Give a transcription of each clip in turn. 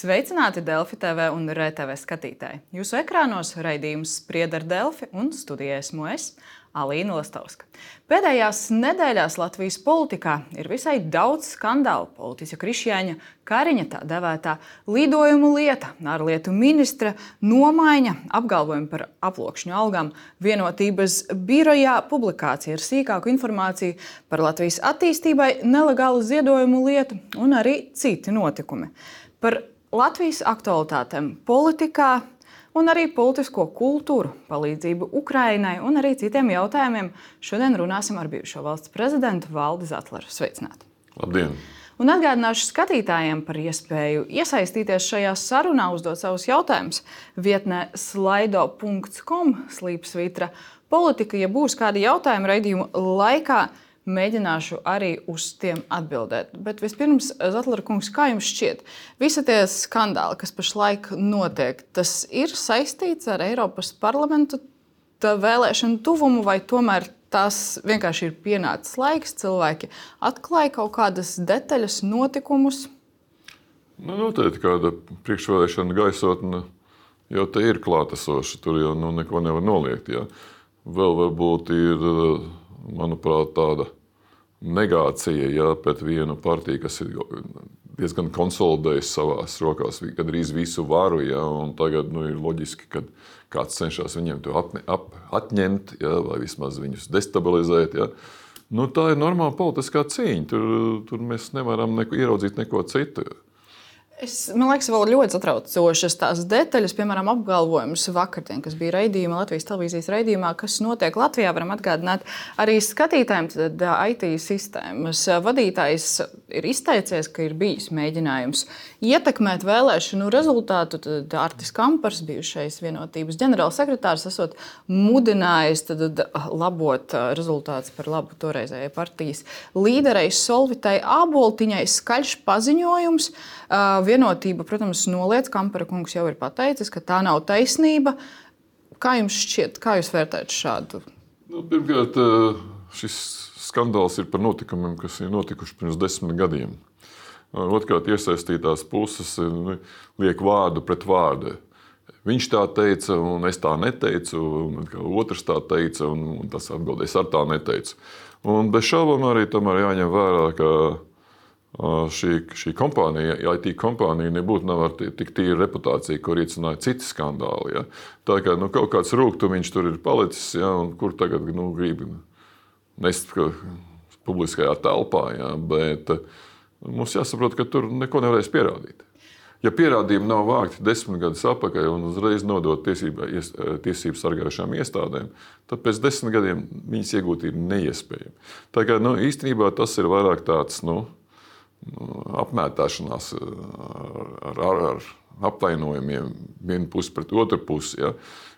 Sveicināti Delfi TV un RTV skatītāji. Jūsu ekrānos raidījums Sprieda ar Delfi un studijā esmu es, Alīna Lastovska. Pēdējās nedēļās Latvijas politikā ir visai daudz skandālu. Politiķa Krišjāņa Kariņa tā devētā lidojumu lieta, ārlietu ministra nomaiņa, apgalvojumi par aploksņu algām, Vienotības birojā publikācija ar sīkāku informāciju par Latvijas attīstībai, nelegālu ziedojumu lietu un arī citi notikumi. Par Latvijas aktualitātēm politikā un arī politisko kultūru, palīdzību Ukrainai un arī citiem jautājumiem šodien runāsim ar bijušo valsts prezidentu Valdi Zatleru. Sveicināti! Labdien! Un atgādināšu skatītājiem par iespēju iesaistīties šajā sarunā, uzdot savus jautājumus vietnē slido.com/politika. Ja būs kādi jautājumi raidījuma laikā, mēģināšu arī uz tiem atbildēt. Bet vispirms, Zatlera kungs, kā jums šķiet? Visi tie skandāli, kas pašlaik notiek, tas ir saistīts ar Eiropas parlamentu vēlēšanu tuvumu, vai tomēr tās vienkārši ir pienācis laiks, cilvēki atklāja kaut kādas detaļas, notikumus? Noteikti kāda priekšvēlēšana gaisotne jau te ir klātesoša, tur jau neko nevar noliegt. Ja. Vēl varbūt ir, manuprāt, tāda negācija pret vienu partiju, kas ir diezgan konsolidējusi savās rokās gandrīz visu varu, un tagad ir loģiski, ka kāds cenšas viņiem to atņemt, vai vismaz viņus destabilizēt. Tā ir normāla politiskā cīņa, tur mēs nevaram ieraudzīt neko citu. Man liekas, vēl ļoti satraucošas tās detaļas, piemēram, apgalvojums vakardien, kas bija raidījumā, Latvijas televīzijas raidījumā, kas notiek Latvijā. Varam atgādināt arī skatītājiem, tad IT sistēmas vadītājs ir izteicies, ka ir bijis mēģinājums ietekmēt vēlēšanu rezultātu. Tad Artis Kampars, bijušais Vienotības ģenerālsekretārs, esot mudinājis labot rezultātus par labu toreizējai partijas līderei Solvitai Āboltiņai. Skaļš paziņojums. Vienotība, protams, noliedz. Kampara kungs jau ir pateicis, ka tā nav taisnība. Kā jums šķiet, kā jūs vērtējat šādu? Pirmkārt, šis skandāls ir par notikumiem, kas ir notikuši pirms 10 gadiem. Otrkārt, iesaistītās puses liek vārdu pret vārdu. Viņš tā teica, un es tā neteicu, un otrs tā teica, un tas atbildēs ar tā neteicu. Un bez šaubām arī tomēr jāņem vērā, ka šī kompānija, IT kompānija, nebūtu nav ar tik tīra reputācija, kur iecināja citi skandāli. Ja. Tā kā kaut kāds rūgtumiņš tur ir palicis, un kur tagad grib nest publiskajā telpā. Ja, bet mums jāsaprot, ka tur neko nevarēs pierādīt. Ja pierādījumi nav vākti 10 gadus atpakaļ un uzreiz nodot tiesību sargājušām iestādēm, tad pēc 10 gadiem viņas iegūt ir neiespējami. Tā kā īstenībā tas ir vairāk tāds, apmētāšanās ar apvainojumiem vienu pusi pret otru pusi. Ja?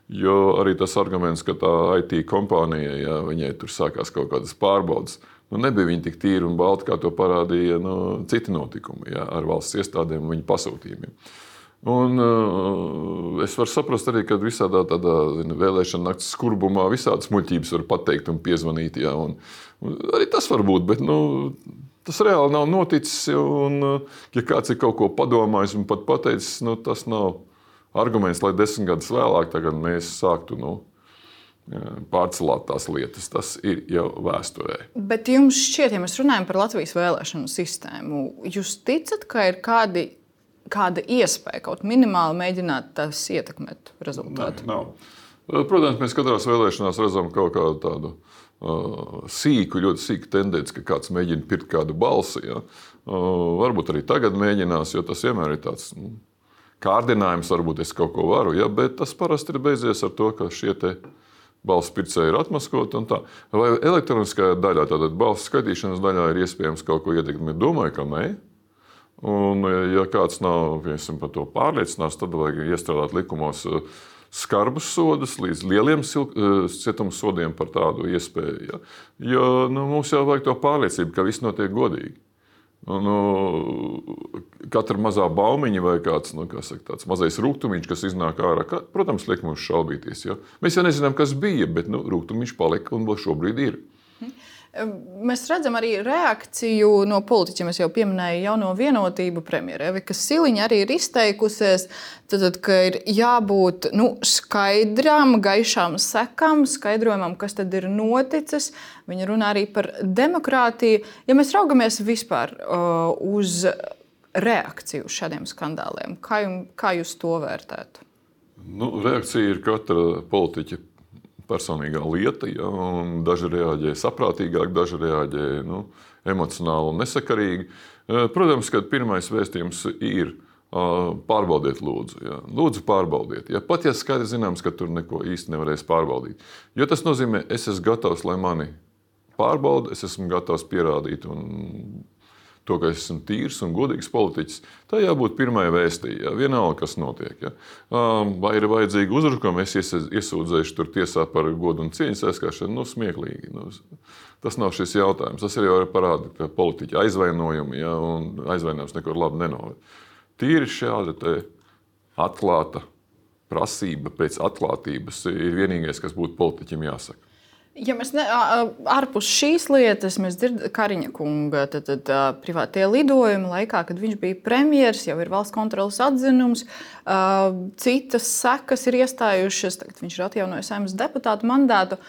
Jo arī tas arguments, ka tā IT kompānija, viņai tur sākās kaut kādas pārbaudas, nebija viņa tik tīra un balta, kā to parādīja citi notikumi ar valsts iestādēm un viņu pasūtījumiem. Un es varu saprast arī, ka visādā tādā vēlēšana nakts skurbumā visādas muļķības var pateikt un piezvanīt. Ja? Un arī tas var būt, bet tas reāli nav noticis, un ja kāds ir kaut ko padomājis un pat pateicis, tas nav arguments, lai 10 gadus vēlāk tagad mēs sāktu pārcelāt tās lietas. Tas ir jau vēsturē. Bet jums šķiet, ja mēs runājam par Latvijas vēlēšanu sistēmu, jūs ticat, ka ir kāda iespēja kaut minimāli mēģināt tās ietekmēt rezultātu? Nav. Protams, mēs katrās vēlēšanās redzam kaut kādu tādu ļoti sīku tendenci, ka kāds mēģina pirkt kādu balsi. Ja. Varbūt arī tagad mēģinās, jo tas vienmēr ir tāds kārdinājums, varbūt es kaut ko varu, ja, bet tas parasti ir beidzies ar to, ka šie te balsu pircēji ir atmaskoti un tā. Vai elektroniskajā daļā, tātad balsu skaitīšanas daļā ir iespējams kaut ko ietekmēt? Domāju, ka nē. Un ja kāds nav par to pārliecināts, tad vajag iestrādāt likumos skarbus sodus līdz lieliem cietuma sodiem par tādu iespēju. Ja? Jo mums jau vajag to pārliecību, ka viss notiek godīgi. Katra mazā baumiņa vai kāds tāds mazais rūgtumiņš, kas iznāk ārā, protams, liek mums šaubīties. Ja? Mēs jau nezinām, kas bija, bet rūgtumiņš palika un vēl šobrīd ir. Mēs redzam arī reakciju no politiķiem. Es jau pieminēju jauno vienotību premjera Evika Siliņa arī ir izteikusies, ka ir jābūt skaidrām, gaišām sekām, skaidrojumam, kas tad ir noticis. Viņa runā arī par demokrātiju. Ja mēs raugamies vispār uz reakciju uz šādiem skandāliem, kā jūs to vērtētu? Reakcija ir katra politiķa personīgā lieta, ja, un daži reaģē saprātīgāk, daži reaģē emocionāli un nesakarīgi. Protams, ka pirmais vēstījums ir pārbaudiet lūdzu. Ja. Lūdzu pārbaudiet. Ja. Pat ja skaidri zināms, ka tur neko īsti nevarēs pārbaudīt. Jo tas nozīmē, es esmu gatavs, lai mani pārbauda, es esmu gatavs pierādīt to, ka es esmu tīrs un godīgs politiķis. Tā jābūt pirmai vēstī, ja. Vienalga, kas notiek. Ja. Vai ir vajadzīga uzbrukuma, es iesūdzēšu tur tiesā par godu un cieņas aizskāršanu. Smieklīgi. Tas nav šis jautājums. Tas arī parāda, ka politiķi aizvainojumi, ja, un aizvainojums neko labi nenoved. Tīri šāda atklāta prasība pēc atklātības ir vienīgais, kas būtu politiķim jāsaka. Ja mēs ārpus šīs lietas mēs dzirdam Kariņa kunga privātie lidojumi laikā, kad viņš bija premjers, jau ir valsts kontroles atzinums, citas sekas ir iestājušas, tagad viņš ir atjaunojis Saeimas deputātu mandātu.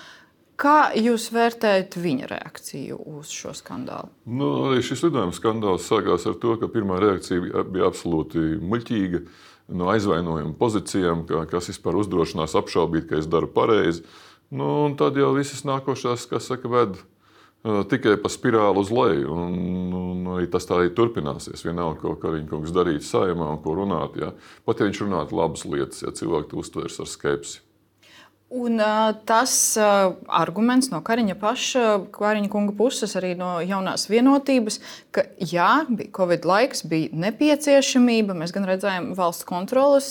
Kā jūs vērtējat viņa reakciju uz šo skandālu? Arī šis lidojuma skandāls sākās ar to, ka pirmā reakcija bija absolūti muļķīga no aizvainojuma pozīcijām, kas vispār uzdrošinās apšaubīt, ka es daru pareizi. Un tad jau visas nākošās, kas saka, ved tikai pa spirāli uz leju. Un arī tas tā arī turpināsies. Vienalga, ko Kariņa kungs darīt Saeimā un ko runāt. Ja. Pat ja viņš runātu labas lietas, ja cilvēki to uztvers ar skepsi. Un tas arguments no Kariņa kunga puses, arī no jaunās vienotības, ka jā, bija Covid laiks, bija nepieciešamība. Mēs gan redzējām valsts kontroles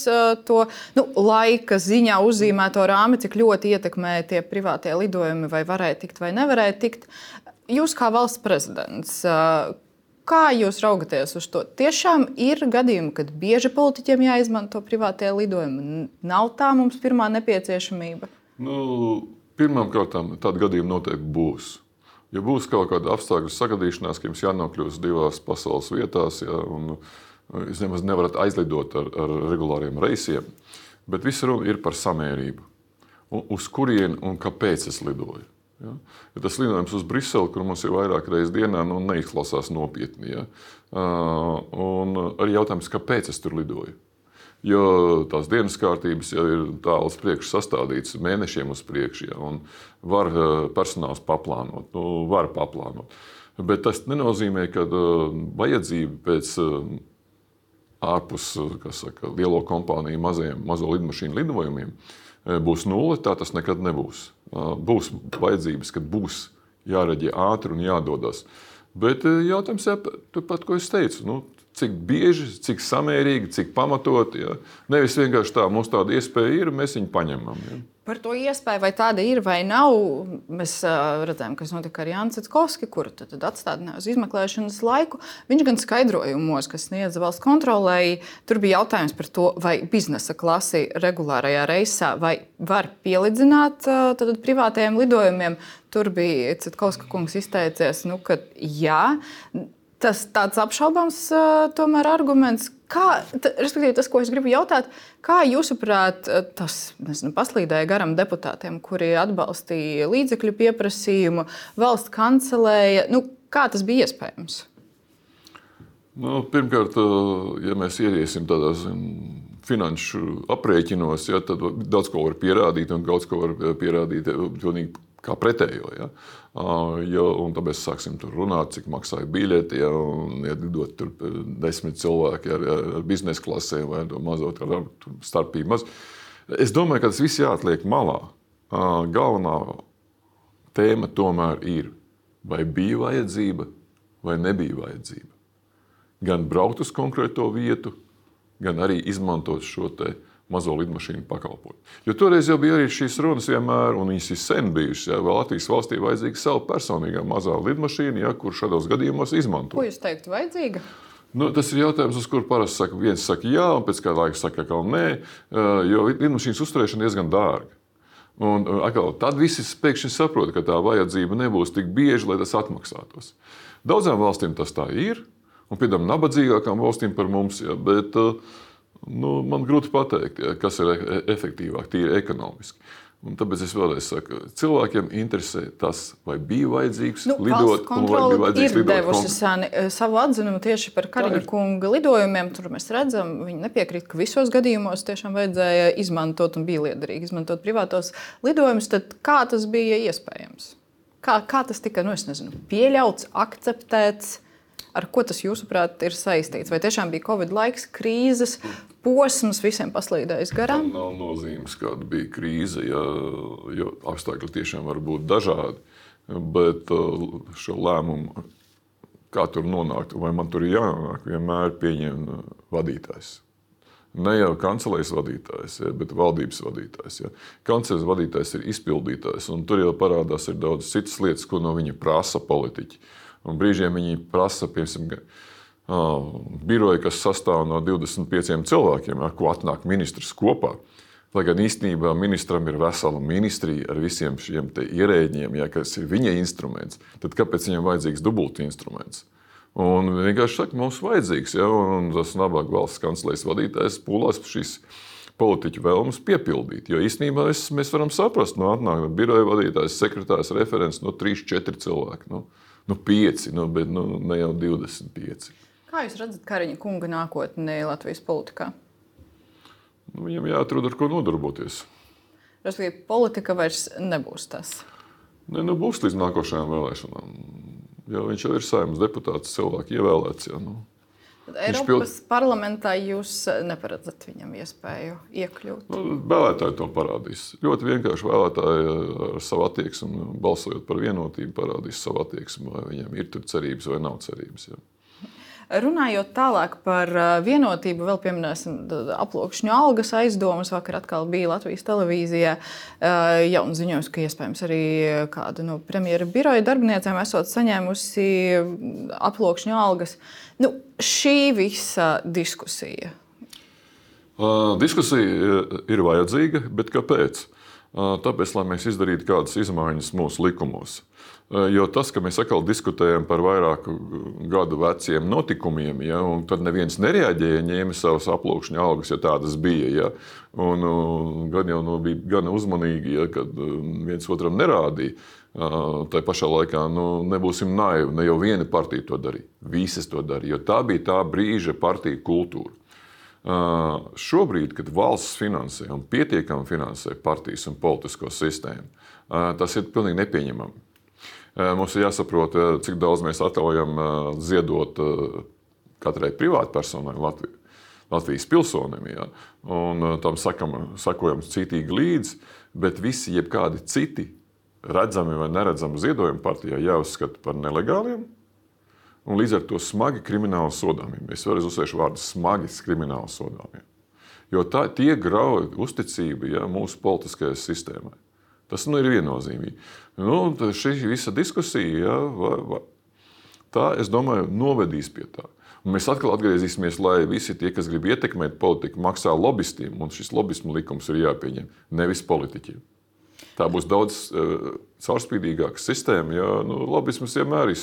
to laika ziņā uzzīmēto rāmi, cik ļoti ietekmēja tie privātie lidojumi, vai varēja tikt vai nevarēja tikt. Jūs kā valsts prezidents, kā jūs raugaties uz to? Tiešām ir gadījumi, kad bieži politiķiem jāizmanto privātie lidojumi. Nav tā mums pirmā nepieciešamība? Pirmkārt, tāda gadījuma noteikti būs. Ja būs kaut kāda apstākļu sagadīšanās, ka jums jānokļūst divās pasaules vietās, ja, un jūs nemaz nevarat aizlidot ar regulāriem reisiem, bet visa runa ir par samērību. Uz kurieni un kāpēc es lidoju. Ja? Ja tas lidojums uz Briseli, kur mums ir vairāk reizes dienā, neizklausās nopietni. Ja? Un arī jautājums, kāpēc es tur lidoju. Jo tās dienas kārtības jau ir tālu uz priekšu sastādītas, mēnešiem uz priekšu, ja? Un var personāls paplānot, var paplānot. Bet tas nenozīmē, ka vajadzība pēc ārpus, lielo kompāniju mazo lidmašīnu lidojumiem būs nulle, tā tas nekad nebūs. Būs vajadzības, kad būs jāreģē ātri un jādodas. Bet jautājums ir pat, ko es teicu, cik bieži, cik samērīgi, cik pamatot. Ja? Nevis vienkārši tā, mums tāda iespēja ir, mēs viņu paņemam. Ja? Par to iespēju, vai tāda ir vai nav, mēs redzējām, kas notika ar Jānu Cetkovski, kuru tad atstādināja uz izmeklēšanas laiku. Viņš gan skaidrojumos, kas sniedza valsts kontrolei, tur bija jautājums par to, vai biznesa klasi regulārajā reisā vai var pielidzināt privātajiem lidojumiem. Tur bija Cetkovska kungs izteicies, ka jā. Tas tāds apšaubāms tomēr arguments. Respektīvi, tas, ko es gribu jautāt, kā jūsuprāt, tas paslīdēja garam deputātiem, kuri atbalstīja līdzekļu pieprasījumu, valsts kancelēja. Kā tas bija iespējams? Pirmkārt, ja mēs ieiesim tādās finanšu aprēķinos, ja, tad daudz ko var pierādīt un daudz ko var pierādīt kā pretējo. Ja. Un tāpēc sāksim tur runāt, cik maksāja biļeti, ja, un lidot tur 10 cilvēki ar biznesa klasēm vai mazo starpību maz. Es domāju, ka tas viss jāatliek malā. Galvenā tēma tomēr ir, vai bija vajadzība vai nebija vajadzība. Gan braukt uz konkrēto vietu, gan arī izmantot šo te mazo lidmašīnu pakalpojumu. Jo toreiz jau bija arī šīs runas vienmēr, un viņas ir sen bijušas. Ja, Latvijas valstī vajadzīga savu personīgā mazā lidmašīna, ja, kur šādos gadījumos izmanto. Ko jūs teiktu, vajadzīga? Tas ir jautājums, uz kuru parasti viens saka jā, un pēc kāda laika saka, ka nē, jo lidmašīnas uzturēšana diezgan dārga. Un atkal, tad visi pēkšņi saprot, ka tā vajadzība nebūs tik bieži, lai tas atmaksātos. Daudzām valstīm tas tā ir, un piemēram nabadzīgākām valstīm par mums, ja, bet man grūti pateikt, ja, kas ir efektīvāk, tīri ekonomiski. Un tāpēc es vēlreiz saku, cilvēkiem interesē tas, vai bija vajadzīgs lidot, un vai bija vajadzīgs lidot. Valsts kontrole ir devusi savu atzinumu tieši par Kariņa kunga lidojumiem. Tur mēs redzam, viņi nepiekrīt, ka visos gadījumos tiešām vajadzēja izmantot un bija liederīgi izmantot privātos lidojumus. Tad kā tas bija iespējams? Kā tas tika, pieļauts, akceptēts? Ar ko tas, jūsuprāt, ir saistīts? Vai tiešām bija Covid laiks, krīzes posms, visiem paslīdējis garām? Tam nav nozīmes, kāda bija krīze, jo apstākļi tiešām var būt dažādi. Bet šo lēmumu, kā tur nonākt, vai man tur ir jānonāk, vienmēr pieņem vadītājs. Ne jau kancelējas vadītājs, bet valdības vadītājs. Kancelējas vadītājs ir izpildītājs, un tur jau parādās ir daudz citas lietas, ko no viņa prasa politiķi. Un brīžiem viņi prasa, piemēram, biroju, kas sastāv no 25 cilvēkiem, ar ko atnāk ministrs kopā. Lai gan īstenībā ministram ir vesela ministrija ar visiem šiem ierēģiem, kas ir viņa instruments, tad kāpēc viņam vajadzīgs dubult instruments? Un vienkārši saka, mums vajadzīgs, un tas nabaga valsts kancelējas vadītājs pūlās šīs politiķu vēlmes piepildīt. Jo īstenībā mēs varam saprast, atnāk biroja vadītājs, sekretārs, referents, 3-4 cilvēki. 5, bet ne jau 25. Kā jūs redzat Kariņa kunga nākotni Latvijas politikā? Viņam jāatrod, ar ko nodarboties. Respektīvi, politika vairs nebūs tas. Būs līdz nākošajām vēlēšanām. Jo viņš jau ir Saeimas deputāts, cilvēki ievēlēts. Eiropas parlamentā jūs neparedzat viņam iespēju iekļūt? Vēlētāji to parādīs. Ļoti vienkārši vēlētāji ar savu attieksmi, balsojot par vienotību, parādīs savu attieksmi, vai viņam ir tur cerības vai nav cerības. Runājot tālāk par vienotību, vēl pieminēsim aploksņu algas aizdomas. Vakar atkal bija Latvijas televīzijā jauns ziņojums, ka iespējams arī kāda no premjera biroja darbiniecēm esot saņēmusi aploksņu algas. Šī visa diskusija. Diskusija ir vajadzīga, bet kāpēc? Tāpēc, lai mēs izdarītu kādas izmaiņas mūsu likumos. Jo tas, ka mēs atkal diskutējam par vairāku gadu veciem notikumiem, un tad neviens nereaģēja, ņēma savas aploksņa algas, ja tādas bija. Un gan jau bija gan uzmanīgi, kad viens otram nerādīja. Tā pašā laikā nebūsim naivi, ne jau viena partija to darīja. Visas to darīja, jo tā bija tā brīža partija kultūra. Šobrīd, kad valsts finansē un pietiekami finansē partijas un politisko sistēmu, tas ir pilnīgi nepieņemami. Mums ir jāsaprot, cik daudz mēs atļaujam ziedot katrai privātpersonai Latvijas pilsonim. Un tam sakojam citīgi līdzi, bet visi jebkādi citi redzami vai neredzami ziedojumi partijā jāuzskata par nelegāliem un līdz ar to smagi krimināli sodāmiem. Es vēlreiz uzsvēršu vārdu smagi krimināli sodāmiem. Jo tie grauj uzticību mūsu politiskajai sistēmai. Tas ir viennozīmīgi. Šī visa diskusija, tā, es domāju, novedīs pie tā. Un mēs atkal atgriezīsimies, lai visi tie, kas grib ietekmēt politiku, maksā lobistiem, un šis lobismu likums ir jāpieņem, nevis politiķiem. Tā būs daudz caurspīdīgāka sistēma, lobisms vienmēr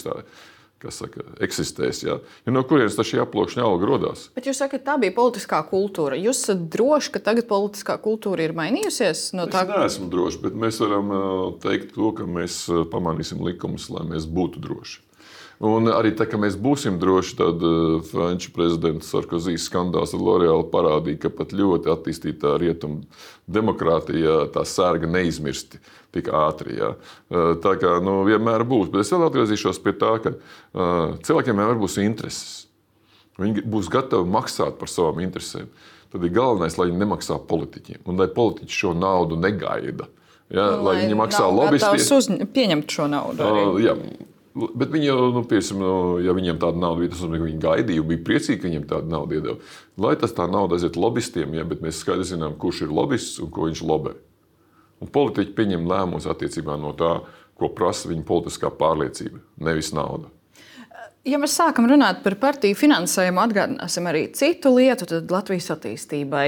eksistēs. No kurienes šī aploksņa alga rodās? Bet jūs sakat, tā bija politiskā kultūra. Jūs esat droši, ka tagad politiskā kultūra ir mainījusies? Es neesmu droši, bet mēs varam teikt to, ka mēs pamanīsim likumus, lai mēs būtu droši. Un arī tā, ka mēs būsim droši, tad Franču prezidents Sarkozy skandāls ar L'Oreal parādīja, ka pat ļoti attīstītā rietumu demokrātijā tā sērga neizmirsti tik ātri. Tā kā vienmēr būs. Bet es vēl atgriezīšos pie tā, ka cilvēkiem vienmēr būs intereses. Viņi būs gatavi maksāt par savām interesēm. Tad ir galvenais, lai viņi nemaksā politiķiem. Un lai politiķi šo naudu negaida. Lai viņi maksā lobistiem. Pieņemt šo naudu arī. Bet viņi jau, ja viņiem tāda nauda bija, tas nozīmē, ka viņi gaidīja, bija priecīgi, ka viņiem tāda nauda iedeva. Lai tā nauda aiziet lobistiem, bet mēs skaidri zinām, kurš ir lobists un ko viņš lobē. Un politiķi pieņem lēmumus attiecībā no tā, ko prasa viņa politiskā pārliecība, nevis nauda. Ja mēs sākam runāt par partiju finansējumu, atgādināsim arī citu lietu, tad Latvijas attīstībai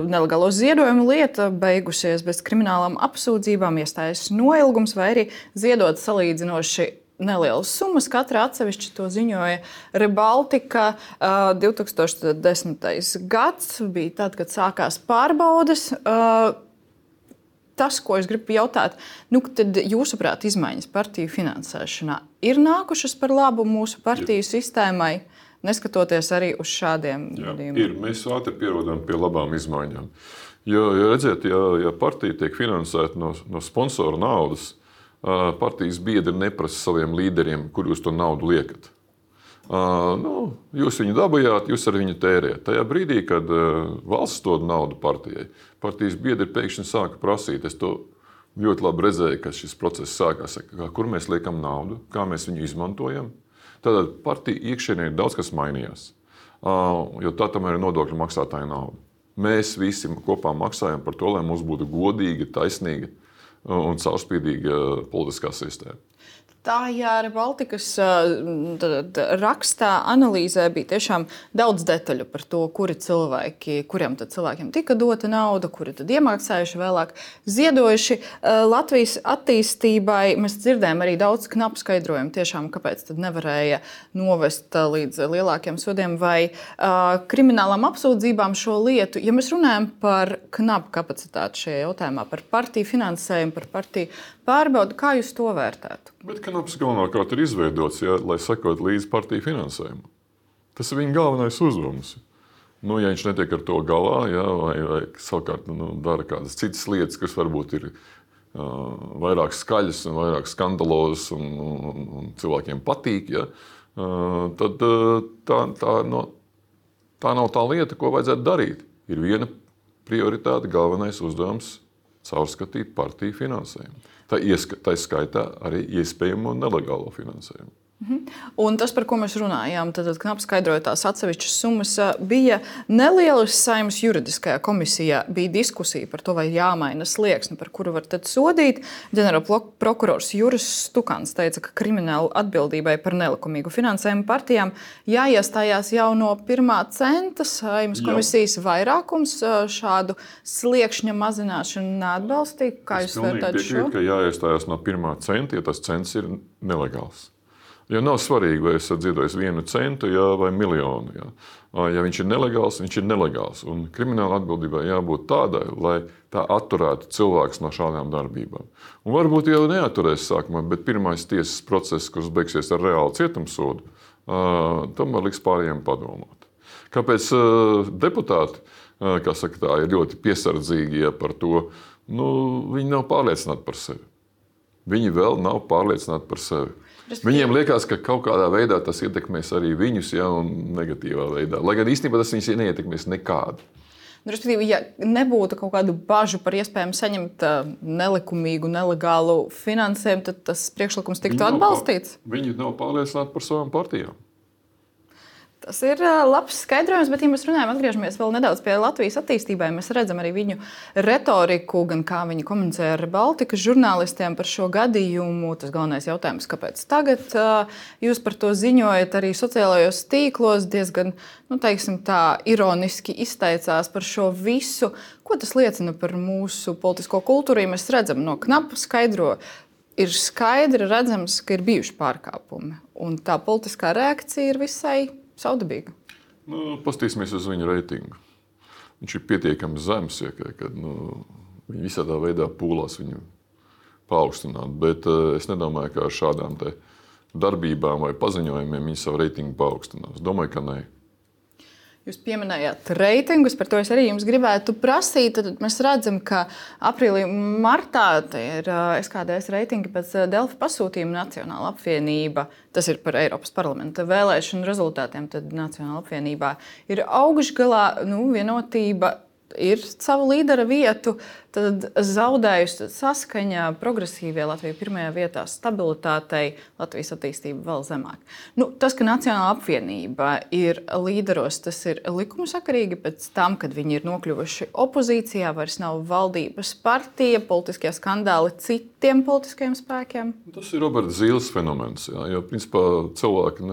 nelegālo ziedojumu lieta beigusies bez kriminālām apsūdzībām, iestājas noilgums vai arī ziedot salīdzinoši nelielas summas. Katra atsevišķi to ziņoja Rebaltika. 2010. gads bija tad, kad sākās pārbaudes. Tas, ko es gribu jautāt, tad jūsuprāt, izmaiņas partiju finansēšanā ir nākušas par labu mūsu partiju sistēmai, neskatoties arī uz šādiem gadījumiem? Ir. Mēs ātri pierodam pie labām izmaiņām. Jo, redziet, ja partija tiek finansēta no sponsoru naudas, partijas biedri neprasa saviem līderiem, kur jūs to naudu liekat. Jūs viņu dabūjāt, jūs ar viņu tērējat. Tajā brīdī, kad valsts dod naudu partijai, partijas biedri pēkšņi sāka prasīt. Es to ļoti labi redzēju, ka šis process sākās. Kur mēs liekam naudu, kā mēs viņu izmantojam. Tad partija iekšienē ir daudz kas mainījās. Jo tā tomēr ir nodokļu maksātāja nauda. Mēs visi kopā maksājam par to, lai mums būtu godīga, taisnīga un caurspīdīga politiskā sistēma. Tā Rebaltikas rakstā, analīzē bija tiešām daudz detaļu par to, kuriem cilvēkiem tika dota nauda, kuri tad iemaksājuši vēlāk, ziedojuši Latvijas attīstībai. Mēs dzirdējām arī daudz knapu skaidrojumu, tiešām, kāpēc tad nevarēja novest līdz lielākiem sodiem vai kriminālām apsūdzībām šo lietu. Ja mēs runājam par knapu kapacitāti šajā jautājumā, par partiju finansējumu, par partiju pārbaudu, kā jūs to vērtētu? Bet knaps galvenokārt ir izveidots, lai sekot līdzi partiju finansējumu. Tas ir viņa galvenais uzdevums. Ja viņš netiek ar to galā, vai savukārt dara kādas citas lietas, kas varbūt ir vairāk skaļas un vairāk skandalozas un cilvēkiem patīk, tad tā nav tā lieta, ko vajadzētu darīt. Ir viena prioritāte, galvenais uzdevums – caurskatīt partiju finansējumu. Tā skaitā arī iespējamo nelegālo finansējumu. Un tas, par ko mēs runājām, tad knapi skaidroja tās atsevišķas summas, bija nelielas Saeimas juridiskajā komisijā. Bija diskusija par to, vai jāmaina slieksni, par kuru var tad sodīt. Ģenerālprokurors Juris Stukans teica, ka krimināla atbildībai par nelikumīgu finansējumu partijām jāiestājās jau no pirmā centa. Saeimas komisijas vairākums šādu sliekšņa mazināšanu neatbalstīja. Kā jūs vērtējat šo? Es pilnīgi piekrītu, ka jāiestājās no pirmā centa, ja tas cents ir nelegāls. Ja nav svarīgi, vai esat ziedojis 1 centu vai miljonu. Ja viņš ir nelegāls, viņš ir nelegāls. Un krimināla atbildībai jābūt tādai, lai tā atturētu cilvēkus no šādām darbībām. Un varbūt jau neatturēs sākumā, bet pirmais tiesas process, kurš beigsies ar reālu cietumsodu, tomēr liks pārējiem padomāt. Kāpēc deputāti, kā saka, tā, ir ļoti piesardzīgi par to, viņi nav pārliecināti par sevi. Viņi vēl nav pārliecināti par sevi. Viņiem liekas, ka kaut kādā veidā tas ietekmēs arī viņus, un negatīvā veidā. Lai gan īstenībā tas viņus neietekmēs nekādu. Respektīvi, ja nebūtu kaut kādu bažu par iespējām saņemt nelikumīgu, nelegālu finansējumu, tad tas priekšlikums tiktu atbalstīts? Viņi nav pārliecināti par savām partijām. Tas ir labs skaidrojums, bet, ja mēs runājam, atgriežamies vēl nedaudz pie Latvijas attīstībai, mēs redzam arī viņu retoriku, gan kā viņi komunicē ar Baltikas žurnālistiem par šo gadījumu. Tas galvenais jautājums, kāpēc tagad jūs par to ziņojat arī sociālajos tīklos, diezgan, ironiski izteicās par šo visu. Ko tas liecina par mūsu politisko kultūru? Ja mēs redzam no knapa skaidro, ir skaidri redzams, ka ir bijuši pārkāpumi, un tā politiskā reakcija ir visai saudabīga. Pastīsimies uz viņu reitingu. Viņš ir pietiekami zems, kad viņi visādā veidā pūlās viņu paaugstināt. Bet es nedomāju, ka ar šādām darbībām vai paziņojumiem viņi savu reitingu paaugstinās. Domāju, ka nē. Jūs pieminējāt reitingus, par to es arī jums gribētu prasīt. Tad mēs redzam, ka aprīlī, martā ir SKDS reitingi pēc Delfi pasūtījuma Nacionāla apvienība. Tas ir par Eiropas parlamenta vēlēšanu rezultātiem. Tad Nacionāla apvienībā ir augšgalā, vienotība. ir savu līdera vietu, tad zaudējusi saskaņa progresīvie Latvija pirmajā vietā, stabilitātei, Latvijas attīstība vēl zemāk. Tas, ka Nacionālā apvienība ir līderos, tas ir likumsakarīgi pēc tam, kad viņi ir nokļuvuši opozīcijā, vairs nav valdības partija, politiskie skandāli citiem politiskajiem spēkiem. Tas ir Roberta Zīles fenomens, jo principā cilvēki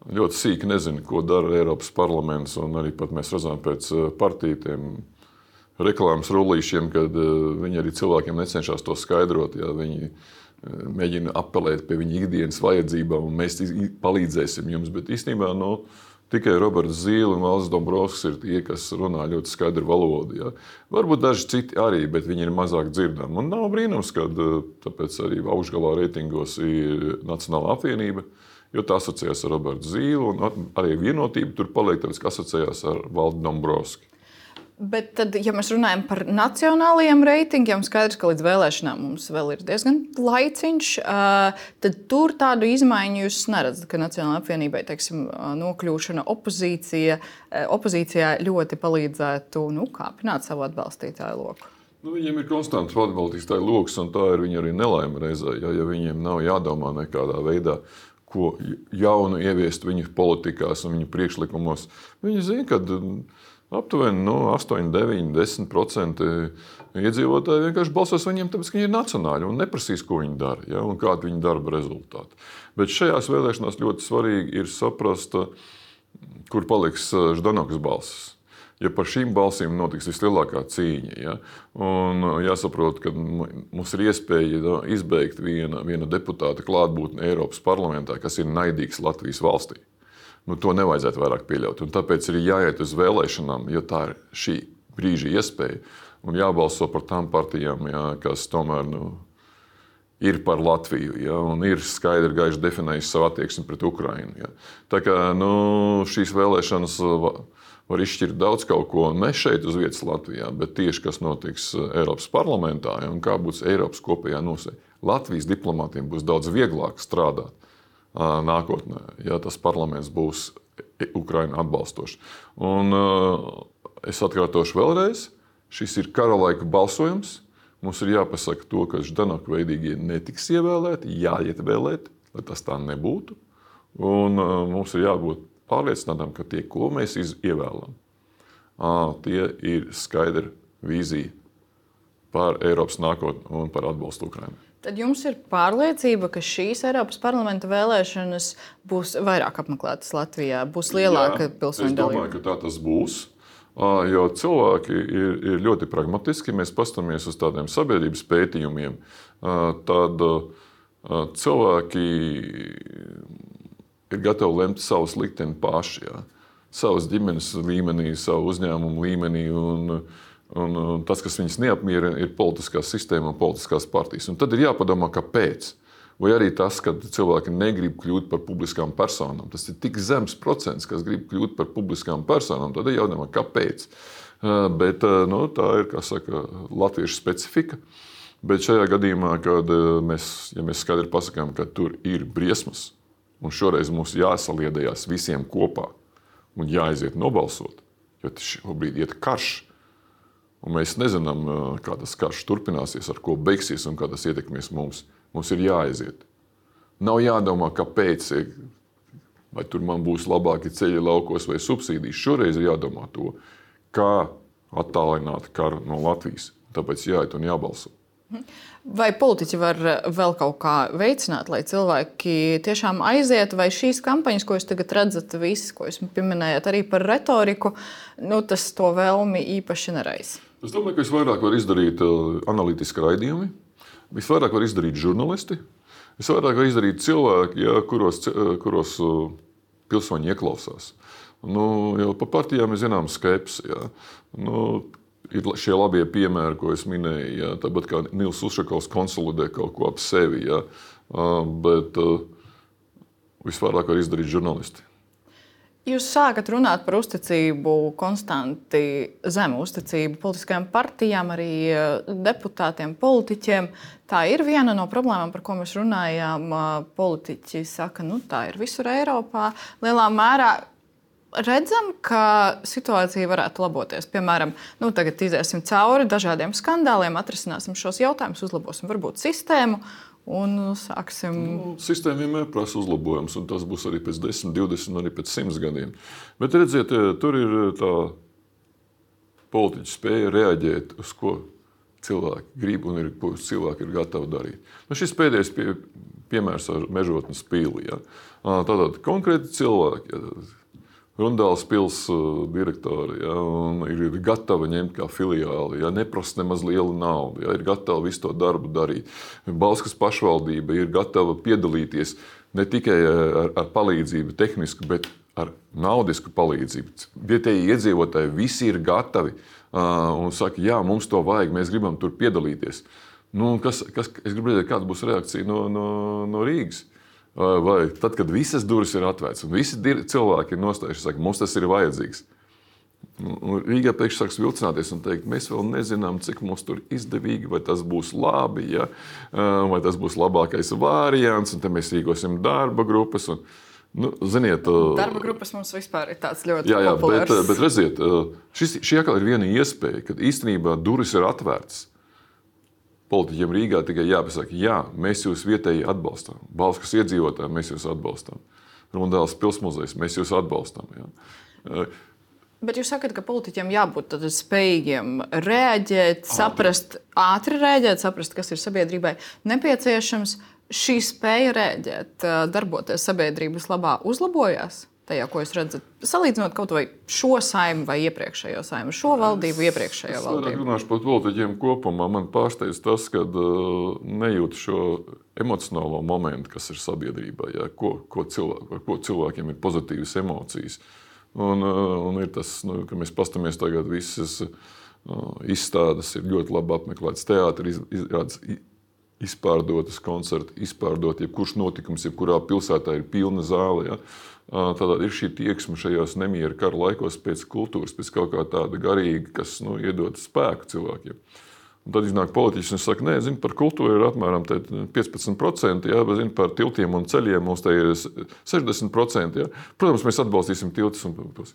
ļoti sīki nezina, ko dara Eiropas parlaments, un arī pat mēs redzam pēc partiju tiem reklāmas rullīšiem, kad viņi arī cilvēkiem necenšas to skaidrot. Viņi mēģina apelēt pie viņa ikdienas vajadzībām, un mēs palīdzēsim jums. Bet īstenībā tikai Roberts Zīle un Valdis Dombrovskis ir tie, kas runā ļoti skaidru valodu. Varbūt daži citi arī, bet viņi ir mazāk dzirdami. Un nav brīnums, ka tāpēc arī augšgalā reitingos ir Nacionālā apvienība, jo tā asociējās ar Robertu Zīli, un arī vienotība tur paliek, tāpēc, ka asociējās ar Valdi Dombrovski. Bet tad, ja mēs runājam par nacionālajiem reitingiem, skaidrs, ka līdz vēlēšanām mums vēl ir diezgan laiciņš, tad tur tādu izmaiņu jūs neredzat, ka Nacionālajai apvienībai, nokļūšana opozīcijā ļoti palīdzētu kāpināt savu atbalstītāju loku. Viņiem ir konstants atbalstītāju loks, un tā ir viņa arī nelaime reizē, ja viņiem nav jādomā nekādā veidā, ko jaunu ieviest viņu politikās un viņu priekšlikumos. Viņi zina, ka aptuveni 8, 9, 10% iedzīvotāji vienkārši balsos viņiem, tāpēc, ka viņi ir nacionāļi un neprasīs, ko viņi dara, un kāda viņa darba rezultāti. Bet šajās vēlēšanās ļoti svarīgi ir saprast, kur paliks Ždanokas balsis. Ja par šīm balsīm notiks vislielākā cīņa, un jāsaprot, ka mums ir iespēja izbeigt viena deputāta klātbūtni Eiropas parlamentā, kas ir naidīgs Latvijas valstī. To nevajadzētu vairāk pieļaut. Un tāpēc ir jāiet uz vēlēšanām, jo tā ir šī brīža iespēja, un jābalso par tām partijām, kas tomēr ir par Latviju, un ir skaidri gaiši definējusi savu attieksmi pret Ukrainu. Tā kā šīs vēlēšanas var izšķirt daudz kaut ko, un ne šeit uz vietas Latvijā, bet tieši kas notiks Eiropas parlamentā, un kā būs Eiropas kopējā nostāja. Latvijas diplomātiem būs daudz vieglāk strādāt nākotnē, ja tas parlaments būs Ukrainu atbalstošs. Un es atkārtošu vēlreiz, šis ir kara laika balsojums. Mums ir jāpasaka to, ka Ždanoka veidīgie netiks ievēlēti, jāiet vēlēt, lai tas tā nebūtu. Un mums ir jābūt pārliecinātam, ka tie, ko mēs ievēlam, tie ir skaidra vīzija par Eiropas nākotni un par atbalstu Ukrainai. Tad jums ir pārliecība, ka šīs Eiropas parlamenta vēlēšanas būs vairāk apmeklētas Latvijā, būs lielāka pilsoņu dalība? Es domāju, ka tā tas būs, jo cilvēki ir ļoti pragmatiski. Mēs paskatāmies uz tādiem sabiedrības pētījumiem, tad cilvēki ir gatavi lemt savus likteni paši, savas ģimenes līmenī, savu uzņēmumu līmenī, un tas, kas viņus neapmierina, ir politiskā sistēma un politiskās partijas. Un tad ir jāpadomā, kāpēc. Vai arī tas, ka cilvēki negrib kļūt par publiskām personām. Tas ir tik zems procents, kas grib kļūt par publiskām personām. Tad ir jādomā, kāpēc. Bet tā ir, kā saka, latviešu specifika. Bet šajā gadījumā, kad mēs skaidri pasakām, ka tur ir briesmas, un šoreiz mums jāsaliedējās visiem kopā un jāaiziet nobalsot, jo šobrīd iet karš. Un mēs nezinām, kā tas karš turpināsies, ar ko beigsies un kā tas ietekmēs mums. Mums ir jāaiziet. Nav jādomā, kāpēc, vai tur man būs labāki ceļi laukos vai subsīdijas. Šoreiz ir jādomā to, kā attālināt karu no Latvijas. Tāpēc jāiet un jābalso. Vai politiķi var vēl kaut kā veicināt, lai cilvēki tiešām aiziet, vai šīs kampaņas, ko jūs tagad redzat, visas, ko jūs pieminējat arī par retoriku, tas to vēlmi īpaši neraisa? Es domāju, ka visvairāk var izdarīt analītiski raidījumi, visvairāk var izdarīt žurnālisti, visvairāk var izdarīt cilvēki, kuros pilsoņi ieklausās. Jau par partijām mēs zinām skepsi. Ir šie labie piemēri, ko es minēju, tāpat kā Nils Ušakovs konsolidē kaut ko ap sevi, bet visvairāk var izdarīt žurnālisti. Jūs sākat runāt par uzticību, konstanti zemu uzticību politiskajām partijām, arī deputātiem, politiķiem. Tā ir viena no problēmām, par ko mēs runājām. Politiķi saka, tā ir visur Eiropā. Lielā mērā redzam, ka situācija varētu laboties. Piemēram, tagad iziesim cauri dažādiem skandāliem, atrisināsim šos jautājumus, uzlabosim varbūt sistēmu un sāksim. Sistēma vienmēr prasa uzlabojumus, un tas būs arī pēc 10, 20, arī pēc 100 gadiem. Bet redziet, tur ir tā politiķa spēja reaģēt uz ko cilvēki grib un ko cilvēki ir gatavi darīt. Šis pēdējais piemērs ar Mežotnes pili. Ja. Tātad konkrēti cilvēki, Rundāles pils direktori, ja, ir gatavi ņemt kā filiāli, ja, neprasa nemaz lielu naudu, ja, ir gatavi visu to darbu darīt. Bauskas pašvaldība ir gatava piedalīties ne tikai ar palīdzību tehnisku, bet ar naudisku palīdzību. Vietējie iedzīvotāji visi ir gatavi un saka, jā, mums to vajag, mēs gribam tur piedalīties. Es gribu redzēt, kāda būs reakcija no Rīgas. Vai tad, kad visas durvis ir atvērtas un visi cilvēki ir nostājušies, saka, mums tas ir vajadzīgs. Rīgā pēkšņi sāks vilcināties un teikt, mēs vēl nezinām, cik mums tur izdevīgi, vai tas būs labi, ja? Vai tas būs labākais variants, un te mēs rīkosim darba grupas. Ziniet, darba grupas mums vispār ir tāds ļoti populārs. Bet redziet, šī atkal ir viena iespēja, kad īstenībā durvis ir atvērtas. Politiķiem Rīgā tikai jāpasaka, jā, mēs jūs vietēji atbalstām. Bauskas iedzīvotāji, mēs jūs atbalstām. Rundāles pilsmuzejs, mēs jūs atbalstām. Jā. Bet jūs sakat, ka politiķiem jābūt spējīgiem reaģēt, ātri reaģēt, saprast, kas ir sabiedrībai nepieciešams. Šī spēja reaģēt, darboties sabiedrības labā, uzlabojās? Tajā, ko jūs redzat, salīdzinot kaut vai šo saimnu vai iepriekšējo saimnu, šo valdību, iepriekšējo valdību? Es runāšu par politiķiem kopumā. Man pārsteidz tas, ka nejūt šo emocionālo momentu, kas ir sabiedrībā, ja, ko cilvēkiem ir pozitīvas emocijas. Un ir tas, ka mēs pastamies tagad visas izstādes, ir ļoti labi apmeklētas teātri, izpārdotas koncerti, izpārdot jebkurš notikums, jebkurā pilsētā ir pilna zāle. Ja. Tātad ir šī tieksme šajos nemiera kara laikos pēc kultūras, pēc kaut kā tāda garīga, kas iedod spēku cilvēkiem. Un tad iznāk politiķis un saka, par kultūru ir apmēram 15%, ja, bet par tiltiem un ceļiem mums te ir 60%. Ja. Protams, mēs atbalstīsim tiltus un tos.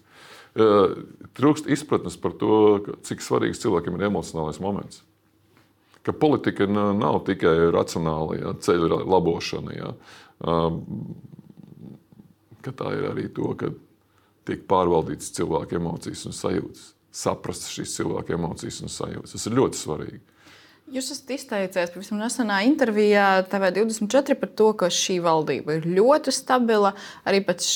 Trūkst izpratnes par to, cik svarīgs cilvēkiem ir emocionālais moments. Ka politika nav tikai racionāla, ja, ceļa labošana. Ja. Ka tā ir arī to, ka tiek pārvaldītas cilvēku emocijas un sajūtas. Saprast šīs cilvēku emocijas un sajūtas. Tas ir ļoti svarīgi. Jūs esat izteicies pavisam nesenā intervijā TV24 par to, ka šī valdība ir ļoti stabila. Arī pēc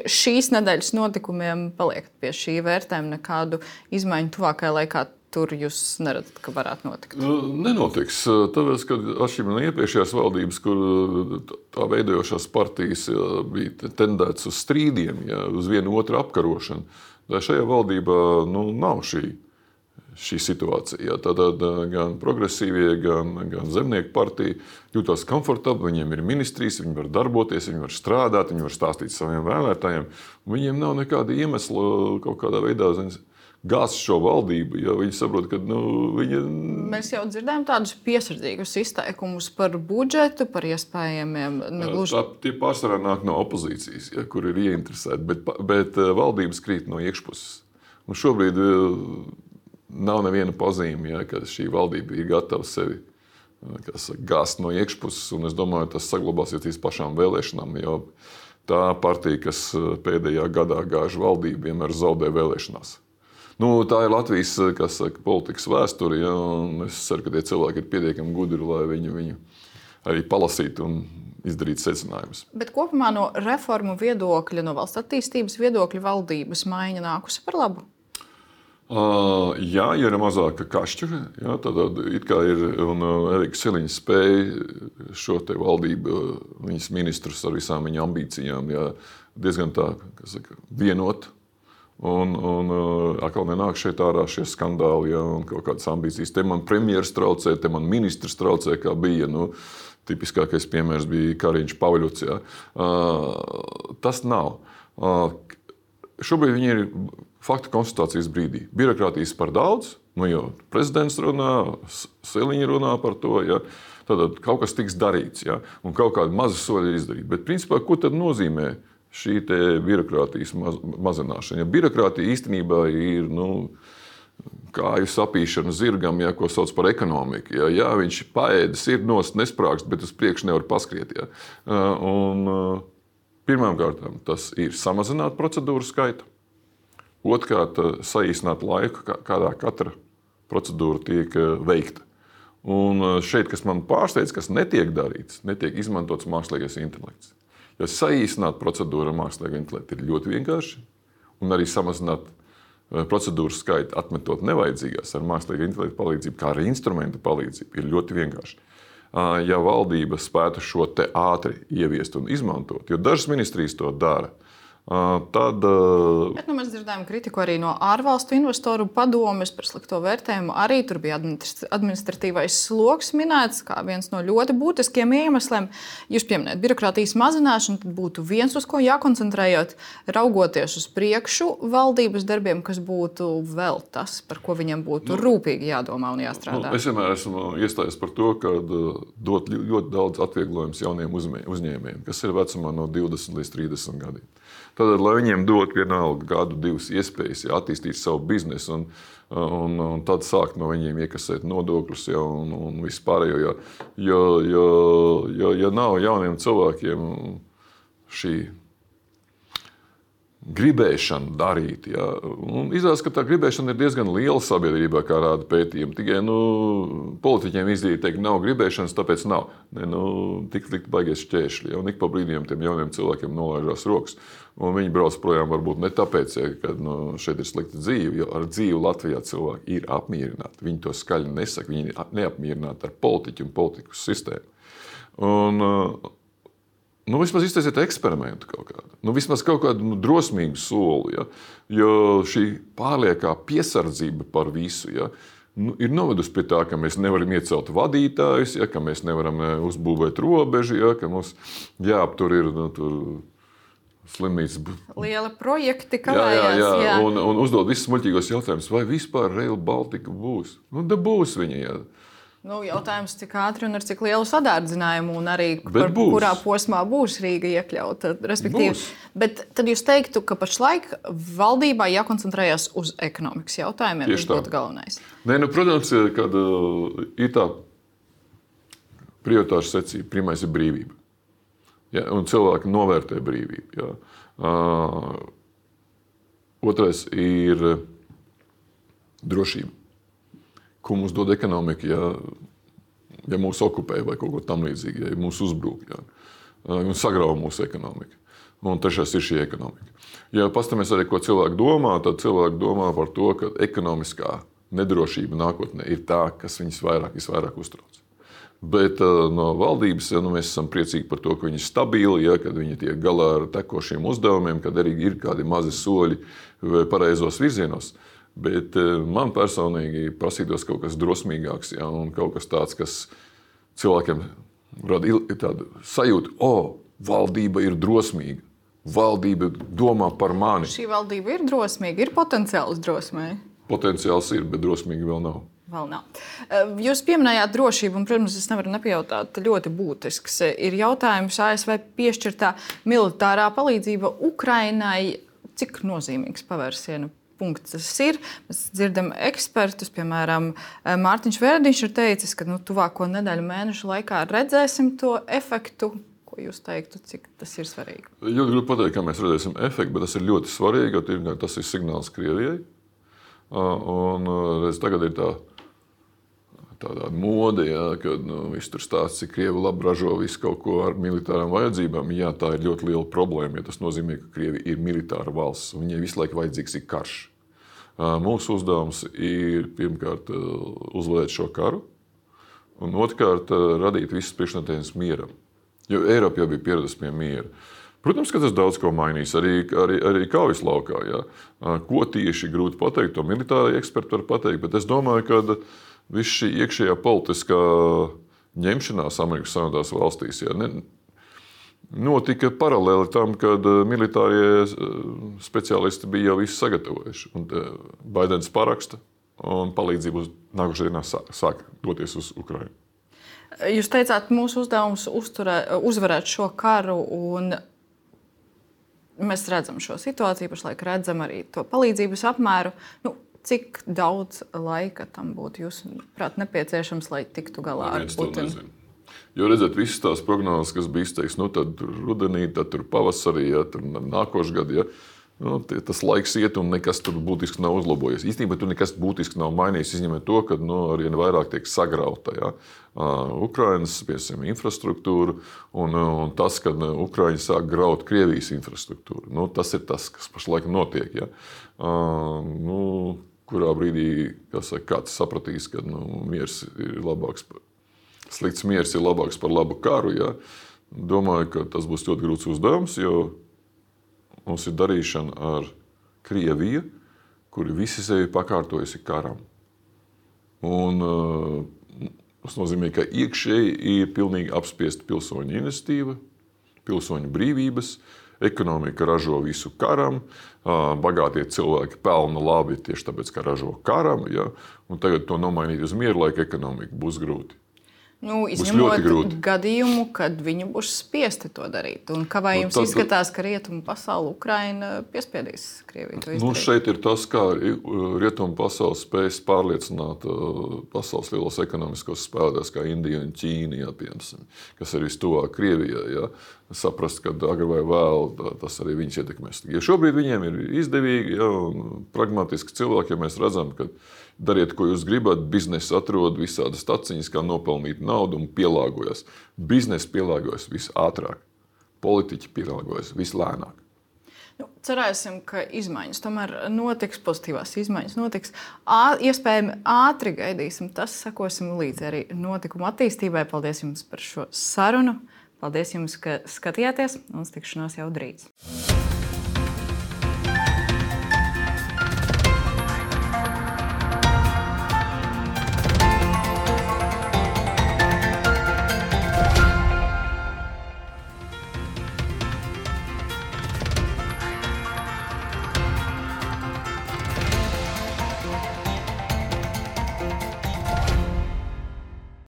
šīs nedēļas notikumiem paliekat pie šī vērtējuma, nekādu izmaiņu tuvākajā laikā. Tur jūs neredzat, ka varētu notikt? Nenotiks. Tāpēc, ka atšķirībā no iepriekšējās valdības, kur tā veidojošās partijas bija tendētas uz strīdiem, ja, uz vienu otru apkarošanu, šajā valdībā nav šī situācija. Ja. Tātad gan progresīvie, gan zemnieku partija jūtās komfortabli, viņiem ir ministrijas, viņi var darboties, viņi var strādāt, viņi var stāstīt saviem vēlētājiem. Viņiem nav nekāda iemesla kaut kādā veidā gāzt šo valdību, ja viņi saprot, ka viņa... Mēs jau dzirdējām tādus piesardzīgus izteikumus par budžetu, par iespējamiem negluži... Tie pārsvarā nāk no opozīcijas, ja, kur ir ieinteresēti, bet valdības krīt no iekšpuses. Un šobrīd nav neviena pazīme, ja, ka šī valdība ir gatava sevi gāzt no iekšpuses, un es domāju, tas saglabāsies līdz pašām vēlēšanām, jo tā partija, kas pēdējā gadā gāž valdību, vienmēr zaudē vēlēšanās. Tā ir Latvijas politikas vēsture, ja, un es ceru, ka tie cilvēki ir pietiekami gudri, lai viņu arī palasītu un izdarītu secinājumus. Bet kopumā no reformu viedokļa, no valsts attīstības viedokļa valdības maiņa nākusi par labu? Jā, ir mazāka kašķa, jā, tad it kā ir, un Erika Siliņa spēja šo te valdību, viņas ministrus ar visām viņa ambīcijām, jā, diezgan tā, vienot. Un atkal nenāk šeit ārā šie skandāli, ja, un kaut kādas ambīcijas. Te man premjeras traucē, te man ministrs traucē, kā bija. Tipiskākais piemērs bija Kariņš Pavļuts. Ja. Tas nav. Šobrīd viņi ir faktu konstatācijas brīdī. Birokrātijas par daudz, jo prezidents runā, Siliņa runā par to. Ja. Tad kaut kas tiks darīts, ja, un kaut kādi mazi soļi ir izdarīti. Bet principā, ko tad nozīmē šī birokrātijas mazināšana. Ja birokrātija īstenībā ir kāju sapīšana zirgam, ko sauc par ekonomiku. Jā, viņš paēdis, ir nost, nesprāgst, bet uz priekšu nevar paskriet. Jā. Pirmkārt, tas ir samazināt procedūru skaitu. Otrkārt, saīsināt laiku, kādā katra procedūra tiek veikta. Un šeit, kas man pārsteidz, kas netiek darīts, netiek izmantots mākslīgais intelekts. Jo saīsināt procedūru ar mākslīgo intelektu ir ļoti vienkārši, un arī samazināt procedūru skaitu, atmetot nevajadzīgās ar mākslīgo intelektu palīdzību, kā arī instrumentu palīdzību, ir ļoti vienkārši. Ja valdība spētu šo te ātri ieviest un izmantot, jo dažas ministrijas to dara, tad... Bet mēs dzirdējām kritiku arī no ārvalstu investoru padomes par slikto vērtējumu. Arī tur bija administratīvais sloks minēts kā viens no ļoti būtiskiem iemesliem. Jūs pieminējat birokrātijas mazināšanu, tad būtu viens, uz ko jākoncentrējot, raugoties uz priekšu valdības darbiem, kas būtu vēl tas, par ko viņiem būtu rūpīgi jādomā un jāstrādā. Es vienmēr esmu iestājies par to, ka dot ļoti daudz atvieglojumus jauniem uzņēmējiem, kas ir vecumā no 20 līdz 30 gadiem. Tad, lai viņiem dot vienalga gadu, divas iespējas attīstīt savu biznesu un tad sākt no viņiem iekasēt nodokļus un vispārējo. Jo nav jauniem cilvēkiem šī gribēšana darīt. Ja. Izrādās, ka tā gribēšana ir diezgan liela sabiedrībā, kā rāda pētījumi. Tikai politiķiem izdevīgi teikt, nav gribēšanas, tāpēc nav. Tik likt baigies šķēršļi. Un ik pa brīdiem tiem jauniem cilvēkiem nolaižās rokas. Un viņi brauc projām varbūt ne tāpēc, ka šeit ir slikta dzīve, jo ar dzīvi Latvijā cilvēki ir apmierināti. Viņi to skaļi nesaka, viņi ir neapmierināti ar politiķu un politikas sistēmu. Un vismaz iztaisiet eksperimentu kaut kādu. Vismaz kaut kādu drosmīgu soli. Ja? Jo šī pārliekā piesardzība par visu ir novedusi pie tā, ka mēs nevaram iecelt vadītājus, ka mēs nevaram uzbūvēt robežu, ka mums jāaptur ir slimnīcas. Liela projekti kavējās. Jā. Un uzdod visus muļķīgos jautājumus, vai vispār Rail Baltica būs? Da būs viņa, jā. Jautājums, cik ātri un ar cik lielu sadārdzinājumu un arī kurā posmā būs Rīga iekļauta. Bet tad jūs teiktu, ka pašlaik valdībā jākoncentrējas uz ekonomikas jautājumiem. Tas būtu galvenais. Protams, kad ir tā prioritāšu secība. Pirmais ir brīvība. Ja, un cilvēki novērtē brīvību. Ja. Otrais ir drošība. Ko mums dod ekonomika, ja mūs okupē vai kaut ko tam līdzīgi, ja mūs uzbrūk, un sagrauj mūsu ekonomiku. Un trešais ir šī ekonomika. Ja pastamies arī, ko cilvēki domā, tad cilvēki domā par to, ka ekonomiskā nedrošība nākotnē ir tā, kas viņus visvairāk uztrauc. Bet no valdības mēs esam priecīgi par to, ka viņi ir stabili, kad viņi tiek galā ar tekošiem uzdevumiem, kad arī ir kādi mazi soļi pareizos virzienos. Bet man personīgi prasītos kaut kas drosmīgāks, un kaut kas tāds, kas cilvēkiem rada tādu sajūtu, valdība ir drosmīga, valdība domā par mani. Šī valdība ir drosmīga, ir potenciāls drosmei? Potenciāls ir, bet drosmīgi vēl nav. Jūs pieminējāt drošību, un, protams, es nevaru nepajautāt, ļoti būtisks ir jautājums ASV piešķirtā militārā palīdzība Ukrainai. Cik nozīmīgs pavērsiena punkts tas ir? Mēs dzirdam ekspertus, piemēram, Mārtiņš Verdiņš ir teicis, ka tuvāko nedēļu mēnešu laikā redzēsim to efektu. Ko jūs teiktu, cik tas ir svarīgi? Ļoti grūti pateikt, kā mēs redzēsim efektu, bet tas ir ļoti svarīgi, jo tas ir signāls Krievijai. Un tagad ir tāda mode, kad viss tur stāsts, cik Krievi labi ražo visu kaut ko ar militārām vajadzībām. Jā, tā ir ļoti liela problēma, jo tas nozīmē, ka Krievi ir militāra valsts, un viņai visu laiku vajadzīgs ir karš. Mūsu uzdevums ir pirmkārt uzvarēt šo karu, un otrkārt radīt visas priekšnoteikumus mieram. Jo Eiropa jau bija pieradusi pie miera. Protams, ka tas daudz ko mainīs, arī kaujas laukā. Jā. Ko tieši grūti pateikt, to militāri eksperti var pateikt, bet es domāju, ka viss šī iekšējā politiskā ņemšanās Amerikas Savienotās valstīs notika paralēli tam, kad militārie speciālisti bija jau visu sagatavojuši. Un Baidens paraksta un palīdzību nākošajā dienā sāk doties uz Ukrainu. Jūs teicāt, mūsu uzdevums uzvarēt šo karu un mēs redzam šo situāciju, pašlaik redzam arī to palīdzības apmēru. Cik daudz laika tam būtu, jūsuprāt, nepieciešams, lai tiktu galā ar Putinu? Jo redzat, visas tās prognozes, kas bija izteikts, tad rudenī, tad pavasarī, tad nākošais gads, tas laiks iet un nekas tur būtiski nav uzlabojies. Īstenībā tur nekas būtiski nav mainījies, izņemot to, ka arvien vairāk tiek sagrauta Ukrainas infrastruktūra un tas, ka Ukraiņi sāk graut Krievijas infrastruktūru. Tas ir tas, kas pašlaik notiek. Ja? Kurā brīdī kāds sapratīs, ka miers ir labāks. Slikts miers ir labāks par labu karu. Ja? Domāju, ka tas būs ļoti grūts uzdevums, jo mums ir darīšana ar Krieviju, kuri visi sevi pakārtojusi karam. Un tas nozīmē, ka iekšēji ir pilnīgi apspiesta pilsoņu iniciatīva, pilsoņu brīvības, ekonomika ražo visu karam, bagātie cilvēki pelna labi tieši tāpēc, ka ražo karam. Ja? Un tagad to nomainīt uz mieru laika ekonomiku būs grūti. Izņemot gadījumu, kad viņi būs spiesti to darīt. Un kā vai jums izskatās, ka rietumu pasaule Ukraina piespiedīs Krieviju to izdarīt? Šeit ir tas, kā rietumu pasaule spējas pārliecināt pasaules lielos ekonomiskos spēlētājus, kā Indija un Ķīna, kas ir vistuvāk Krievijai. Ja? Saprast, ka agri vai vēl tas arī viņus ietekmēs. Ja šobrīd viņiem ir izdevīgi un pragmatiski cilvēki, ja mēs redzam, ka dariet, ko jūs gribat, biznesa atrod visādas taciņas, kā nopelnīt naudu un pielāgojas. Biznesa pielāgojas visātrāk, politiķi pielāgojas vislēnāk. Cerēsim, ka izmaiņas tomēr notiks, pozitīvās izmaiņas notiks. Iespējami ātri gaidīsim, tas sekosim līdzi arī notikuma attīstībai. Paldies jums par šo sarunu. Paldies jums, ka skatījāties, un tikšanās jau drīz.